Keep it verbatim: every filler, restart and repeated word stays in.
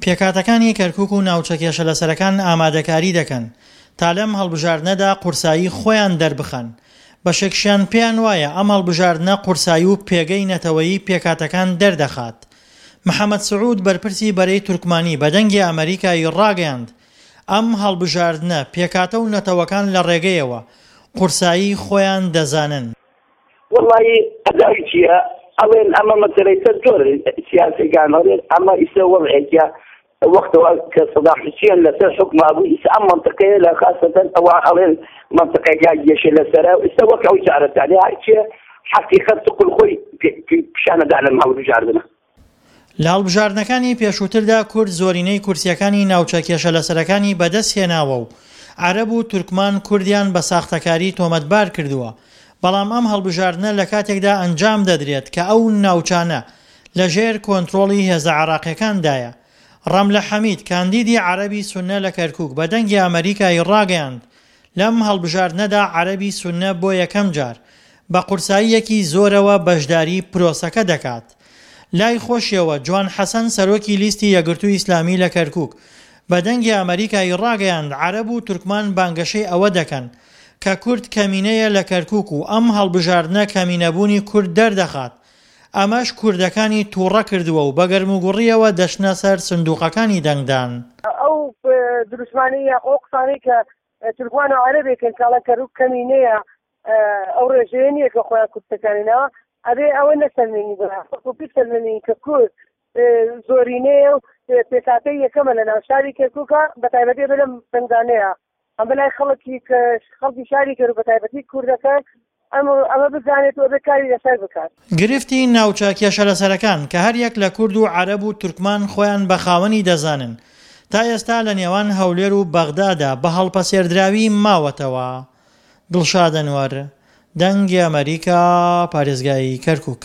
پێکهاتەکانی کەرکوک و ناوچە کێشەلەسەرەکان ئامادەکاری دەکەن تا لەم هەڵبژاردنەدا قورسایی خۆیان دەربخەن، بەشێکشیان پێیان وایە ئەم هەڵبژاردنە قورسایی و پێگەی نەتەوەیی پێکهاتەکان دەردەخات. محەمەد سعود بەرپرسی بەرەی تورکمانی بە دەنگی ئەمەریکای ڕاگەیاند، ئەم هەڵبژاردنە پێکهاتە و نەتەوەکان لە ڕێگەیەوە قورسایی خۆیان دەزانن. وەڵایی ئەدای چییە ئەڵێن ئەمە مەسەلەی سەر زۆر سیاسیەکان ئەڵێن ئەمە ئیسە وەزعێکە وەختەوە کە سەدام حوسێن لەسەر حوکما بوو ئیسە ئەم منطقەیە لە خاصەتەن ئەوە ئەڵێن منطقەکە گێشە لەسەرە ئیسە وەک ئەو چارەسەری هەرچێ حەقیقەت تقل خۆی پیشانەدا لەم هەڵبژاردنە. لە هەڵبژاردنەکانی پێشووتردا کورد زۆرینەی کورسییەکانی ناوچە کێشەلەسەرەکانی بەدەستهێناوە و عەرەب و تورکمان کوردیان بە ساختەکاری تۆمەتبار کردووە، بەڵام ئەم هەڵبژاردنە لە کاتێکدا ئەنجام دەدرێت کە ئەو ناوچانە لە ژێر کۆنترۆڵی هێزە عێراقیەکاندایە. ڕەملە حەمید، کاندیدی عەرەبی سوننە لە کەرکوک بە دەنگی ئەمەریکای ڕاگەیاند، لەم هەڵبژاردنەدا عەرەبی سوننە بۆ یەکەم جار بە قورساییەکی زۆرەوە بەشداری پرۆسەکە دەکات. لای خۆشیەوە جوان حەسەن سەرۆکی لیستی یەکگرتووی ئیسلامی لە کەرکوک بە دەنگی ئەمەریکای ڕاگەیاند عەرەب و تورکمان بانگەشەی ئەوە دەکەن کە کورد کەمینەیە لە کەرکوک و ئەم هەڵبژاردنە کەمینەبوونی کورد دەردەخات ئەمەش کوردەکانی توڕە کردووە و بە گەرموگوڕیەوە دەچنە سەر سندوقەکانی دەنگدان. ئەو دروشمانەی یاخۆ ئەو قسانەی کە تورکمان و عەرەبێکن کە ئەڵێن کەرکوک کەمینەیە ئەو ڕێژەیە نییە کە خۆیان کورسەکانی ناوە ئەبێ ئەوە نەسەلمێنین بەڵکو بیسەلمێنین کە کورد زۆرینەیە و پێکهاتەی یەکەمە لە ناو شاری کەرکووکە بە تایبەتی بە لەم دەنگدانەیە ئەم بەلای خەڵکی خەڵکی شاری کەرکوک بە تایبەتی کوردەکان ئەمە بزانێت و ئەبێ کاری لەسەر بکات. گرفتی ناوچە کێشەلەسەرەکان کە هەریەک لە کورد و عەرەب و تورکمان خۆیان بە خاوەنی دەزانن تا ئێستا لە نێوان هەولێر و بەغدادا بە هەڵپەسێردراوی ماوەتەوە. دڵشاد ئەنوەر، دەنگی ئەمەریکا، پارێزگای کەرکوک.